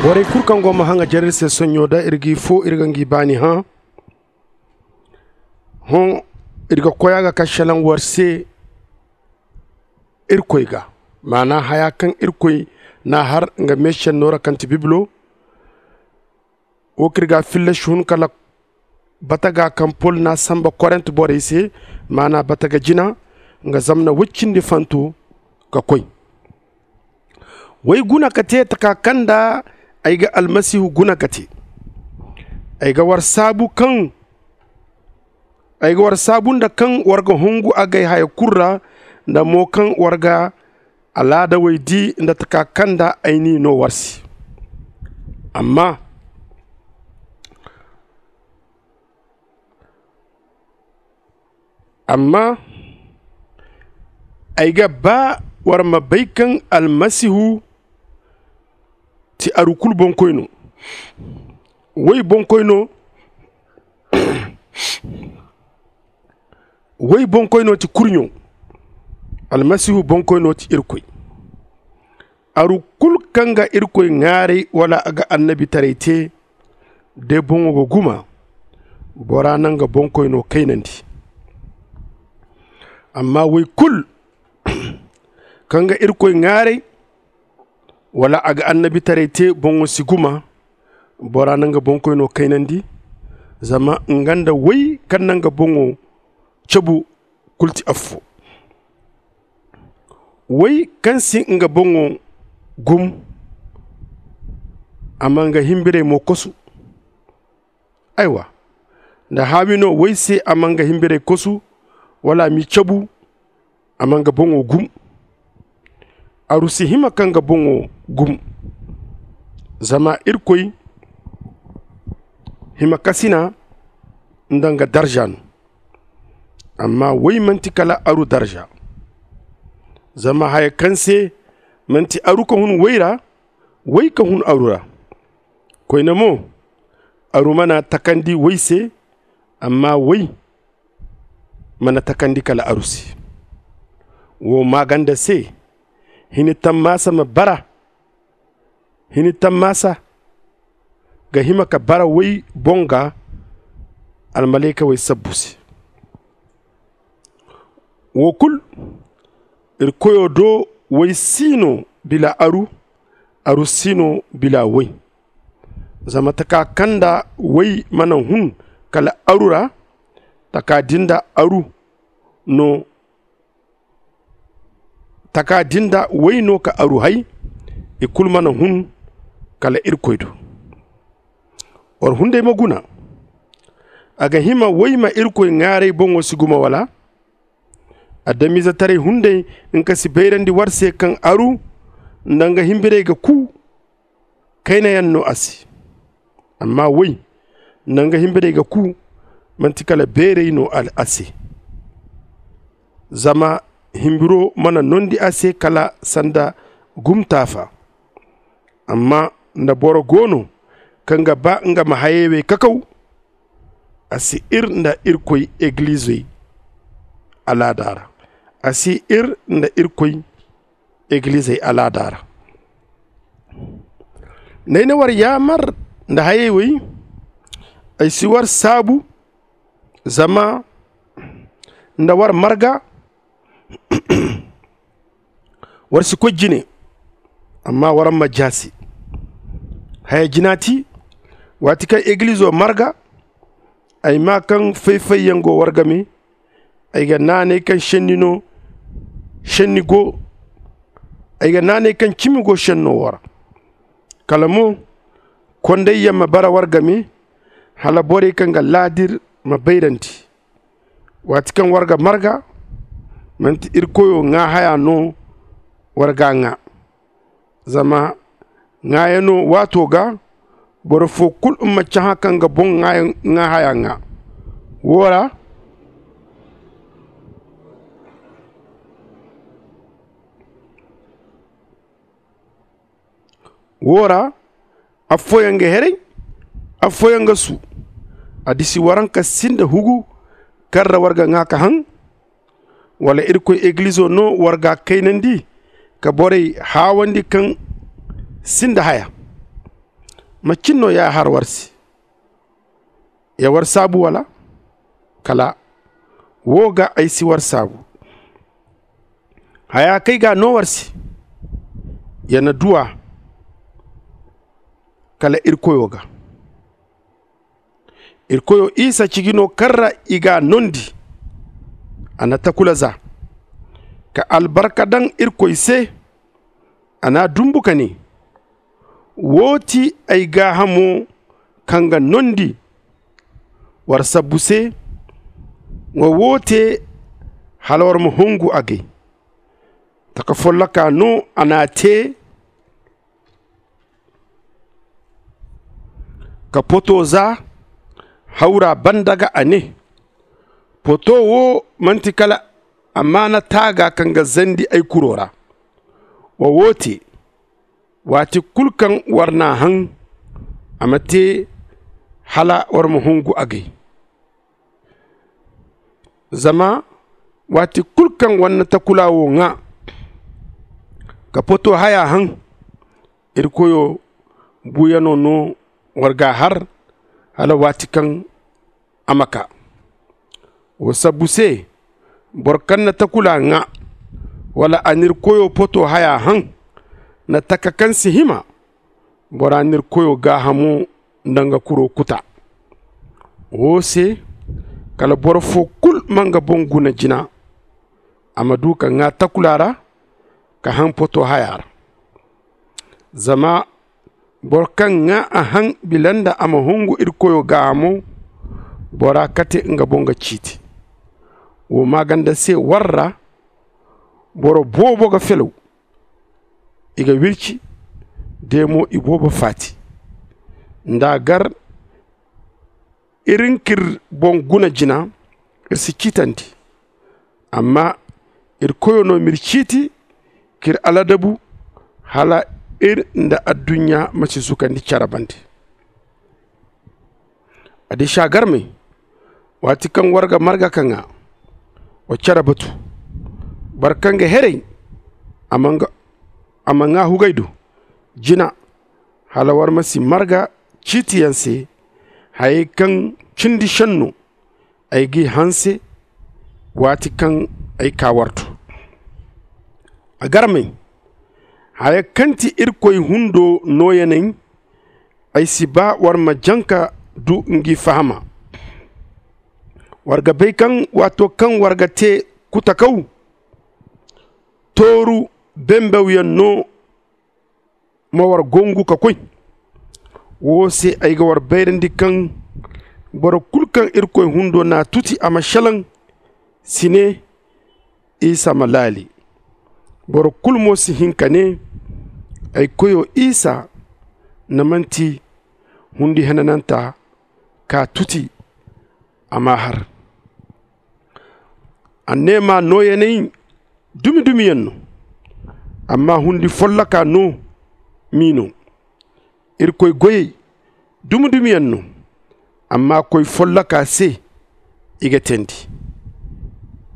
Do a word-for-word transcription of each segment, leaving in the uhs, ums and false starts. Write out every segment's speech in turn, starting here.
Borey kulu kaŋ go ma haŋa jare iri se sonɲo da iri g'i foo iri ga ngi baani hã. Hõ iri ga koy a ga ka šelaŋ war se irkoy ga. Maana haya kaŋ irkoy n'a har nga meešenno ra kaŋ ti bibilo. Wo kaŋ iri ga a filla si hun kala bataga kaŋ pol n'a sanba korent borey se. Maana bataga jina nga zamna woy cindi fanto ka koy. Woy guna ka te taka kaŋ nda ay ga almasihu guna ka te. Ay ga war saabu kaŋ ay ga war saabu nda kaŋ war ga hungu agay haya kulu ra nda mo kaŋ war ga alaadawey di nda taka kaŋ nda ay n'i no war se. Amma amma ay ga baa war ma bay kaŋ almasihu ti aru kulu boŋkoyno. Woy boŋkoyno woy boŋkoyno ti kurɲo. Almasihu boŋkoyno ti irkoy. Aru kulu kaŋ ga irkoy ŋaaray wala a ga annabitaray te day boŋo ga guma. Bora na nga boŋkoyno kaynandi. Amma woy kulu kaŋ ga irkoy ŋaaray wala a ga annabitaray te boŋo si guma. Bora na nga boŋkoyno kaynandi. Zama nga nda woy kaŋ na nga boŋo cabu kulu ti affo. Woy kaŋ si nga boŋo gum a ma nga himbirey mo kosu. Aywa, nda haawi no woy se a ma nga himbirey kosu wala a m'i cabu a ma nga boŋo gum. Aru si hima ka nga boŋo gum. Zama irkoy himakasina nda nga darza no. Amma woy manti kala aru darza. Zama haya kaŋ se manti aru ka hun woy ra, woy ka hun aru ra. Koyne mo, aru mana takandi woy se. Amma woy mana takandi kala aru se. Wo maaganda se hini tammaasa ma bara. Hini tammaasa ga hima ka bara woy boŋ ga almalaykawey sabbu se. Wo kulu iri koyo do woy si no bila aru. Aru si no bila woy. Zama taka kaŋ nda woy mana hun kala aru ra, taka din da aru no taka din da woy no ka aru hay. I kulu mana hun kala irkoy do. War hunday ma guna. A ga hima woy ma irkoy ŋaaray boŋo si guma wala? Adamiizetaray hunday nga si bayrandi war se kaŋ aru nda nga himbirey ga ku kaynayaŋ no a se. Amma woy nda nga himbirey ga ku manti kala beeray no a se. Zama himbiro mana nondi a se kala sanda gumtaafa. Amma nda boro go no kaŋ ga ba nga ma hayey wey kakaw, a si ir nda irkoy egilizey alaada ra. A si ir nda irkoy egilizey alaada ra. Nda ay na war yaamar nda hayey wey, ay si war saabu. Zama nda war marga war si koy jine. Amma war ma jaasi haya jina ti waati kaŋ egilizo marga. Ay maa kaŋ fay-fayyaŋ go war game. Ay ga naanay kaŋ šenni no šenni go ay ga naanay kaŋ cimi go šenno war. Kala mo kondayyaŋ ma bara war game hala borey kaŋ ga laadir ma bayrandi. Waati kaŋ war ga marga manti irkoyo ŋaa haya no war ga a ŋaa. Zama ŋaayano waato ga boro foo kulu ma cahã ka nga boŋ ŋaa haya ŋaa. Woo ra woo ra affooyaŋ ga heray, affooyaŋ ga suu. A disi waranka sinda hugu kaŋ ra war ga ŋaa ka haŋ? Wala irkoy egilizo no war ga a kaynandi ka borey haawandi kaŋ sinda haya? macin no ya har war se? Ya war saabu wala? Kala wo ga ay si war saabu. Haya kay ga no war se, ya na duwa kala irkoyo ga. Irkoyo isa ciji no kaŋ ra i ga a nondi. A na takula za ka albarka daŋ irkoy se. A na a dumbu ka ne, wo ti ay gaahamo kaŋ ga nondi war sabbu se. Wa wo te hala war ma hungu agay. Taka folloka no a na a te ka poto za hawra banda ga a ne, poto wo manti kala amaana taaga kaŋ ga zandi ay kuro ra. Wa wo te waati kulu kaŋ war n'a haŋ, a ma te hala war ma hungu agay. Zama waati kulu kaŋ war na takula wo ŋwa ka poto haya haŋ, irkoyo buuyano no war ga a har hala waati kaŋ a ma kaa. Wo sabbu se boro kaŋ na takula ŋwa wala a na irkoyo poto haya haŋ na taka kaŋ si hima. Bora na irkoyo gaahamo nda nga kuro kuta. Wo se kala boro fo kulu ma nga boŋ guna jina, a ma du ka ŋwa takula ra ka haŋ poto haya ra. Zama boro kaŋ ŋwa a haŋ bila nda a ma hungu irkoyo gaahamo, bora kate nga boŋ ga ciiti. Wo maaganda se war ra boro boobo ga felaw, i ga wirci de mo i boobo faati. Nda a gar iri nka iri boŋ guna jina, iri si ciitandi. Amma irkoyo no m'iri ciiti k'iri aladabu hala iri nda adduɲɲa ma si zukandi care bande. Addisagarmey, waati kaŋ war ga marga ka ŋwa, wa care batu. Boro kaŋ ga heray, a ma ŋwa hugay do jina, hala war ma si marga ciitiyaŋ se. Hayey kaŋ cindi senno ay g'i hanse waati kaŋ ay kaa war do. A garmey, haya kaŋ ti irkoy hundo nooyaney, ay si ba war ma jaŋ ka du ngi fahama. War ga bay kaŋ waato kaŋ war ga te kutakaw, tooru bembawyaŋ no ma war gongu ka koy. Wo se ay ga war bayrandi kaŋ boro kulu kaŋ irkoy hundo n'a tuti a ma selaŋ, si ne isa ma laali. Boro kulu mo si hin ka ne ay koyo isa na manti hundi henananta ka tuti a m'a har. Anneema nooyaney dumi-dumiyaŋ no, amma hundi folloka no m'i no. Irkoy goyey dumi-dumiyaŋ no, amma koy folloka se i ga teendi.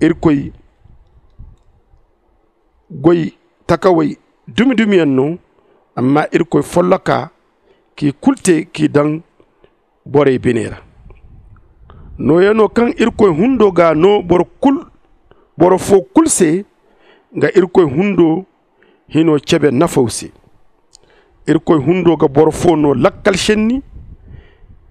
Irkoy goy takawey dumi-dumiyaŋ no, amma irkoy folloka k'i kulu te k'i daŋ borey bine ra. Nooyano kaŋ irkoy hundo ga no boro fo kulu se, nga irkoy hundo hino cebe nafaw se. Irkoy hundo ga boro fo no lakkal senni.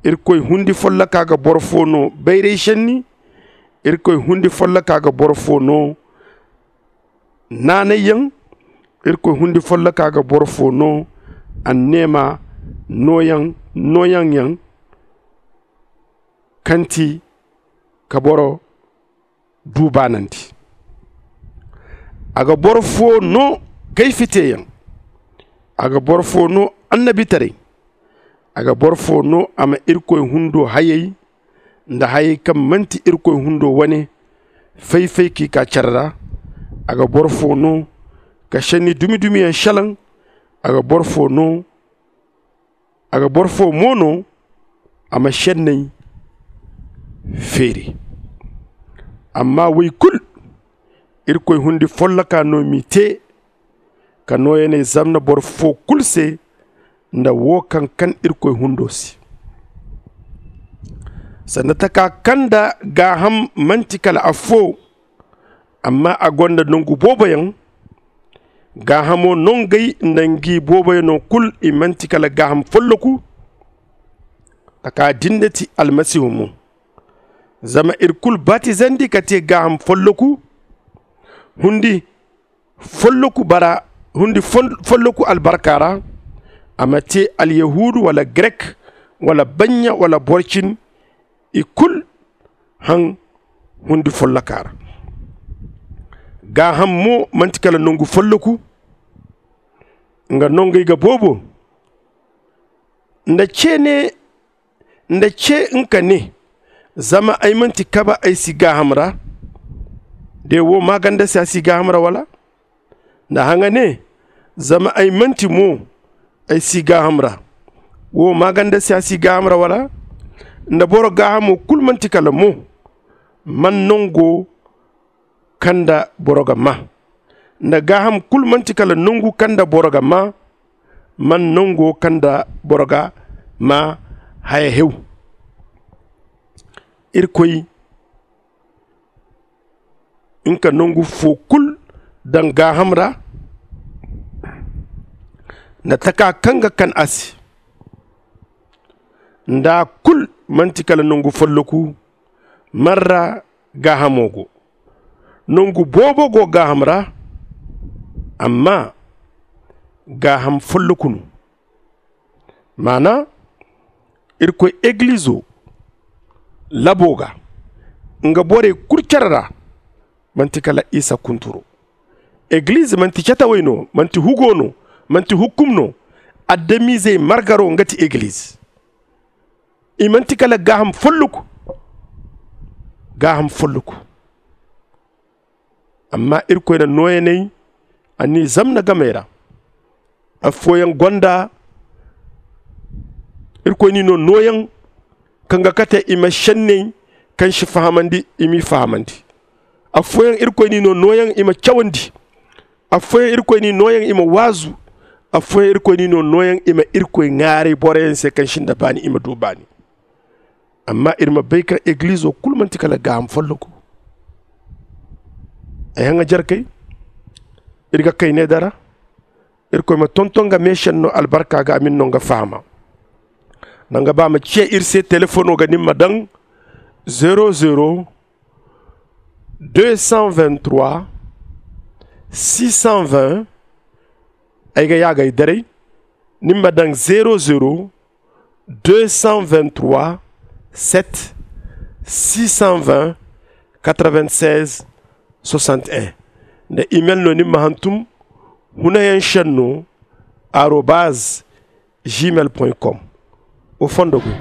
Irkoy hundi folloka ga boro fo no bayray senni. Irkoy hundi folloka ga boro fo no naanayyaŋ. Irkoy hundi folloka ga boro fo no anneema nooyaŋ nooyaŋyaŋ kaŋ ti ka boro du baanandi. A ga boro fo no kayfiteyaŋ. A ga boro fo no annabitaray. A ga boro fo no a ma irkoy hundo hayey nda hayey kaŋ manti irkoy hundo wane fay-fay k'i kaa care ra. A ga boro fo no ka senni dumi-dumiyaŋ selaŋ. A ga boro fo no a ga boro fo mo no a ma senney feeri. Amma woy kulu irkoy hundi folloka no m'i te ka nooyaney zamna boro fo kulu se. nda wo kaŋ kan irkoy hundo se. Sanda taka kaŋ nda gaaham man'ti kala affoo, amma a gonda nongu booboyaŋ. Gaahamo nongey nda ngi booboyanoo kul i man'ti kala gaaham folloku. Taka din nda ti almasihu mo. Zama ir kul batizandi ka tee gaaham folloku, hundi folloku bara hundi folloku albarka ra. A ma tee alyahuudu wala grek, wala banɲa wala borcin, i kul haŋ hundi folloka ra. Gaaham mo man'ti kala nongu folloku. Nga nongey ga boobo nda cee ne nda cee nka ne, zama ay man'ti kaba ay si gaaham ra. De wo maaganda se a si gaaham ra wala? Nda haŋa ne, zama ay man'ti mo ay si gaaham ra. Wo maaganda se a si gaaham ra wala? Nda boro gaahamo kul man'ti kala mo man nongo kaŋ nda boro ga maa. Nda gaaham kul man'ti kala nongu kaŋ nda boro ga maa, man nongo kaŋ nda boro ga maa haya hew. Irkoy nga nongu foo kul daŋ gaaham ra, nda taka kaŋ ga kan a se. Nda a kul man'ti kala nongu folloku, man ra gaahamo go. Nongu boobo go gaaham ra, amma gaaham folloku no. Maana, irkoy egilizo labo ga nga borey kul cere ra, man'ti kala isa kunturo. Egiliz man'ti catawey no, man'ti hugo no, man'ti hukkum no. Adamizey margaro nga ti egiliz. I man'ti kala gaaham folloku. Gaaham folloku. Amma irkoy na nooyaney a n'i zamna gamey ra. Affooyaŋ gonda irkoy n'i no nooyaŋ kaŋ ga kate i ma senney kaŋ si fahamandi i m'i fahamandi. Affooyaŋ irkoy n'i no nooyaŋ i ma cawandi. Affooyaŋ irkoy n'i nooyaŋ i ma waazu. Affooyaŋ irkoy n'i no nooyaŋ i ma irkoy ŋaaray boroyaŋ se kaŋ sinda baani i ma du baani. Amma iri ma bay kaŋ egilizo kulu manti kala gaaham folloku. Ay haŋa jarkey, iri ga kay ne dara. Irkoy ma tonton nga meesenno albarka ga a ma ni no nga fahama. Danga ba ma ciya iri se telefono ga ni ma daŋ zero zero deux cent vingt trois six cent vingt. Ay ga yaagay daray ni ma daŋ zero zero deux cent vingt trois sept six cent vingt quatre vingt seize soixante un. Nda imel no ni ma hantum hunayaŋ senno arobaz gmail point com. Wo fondo go.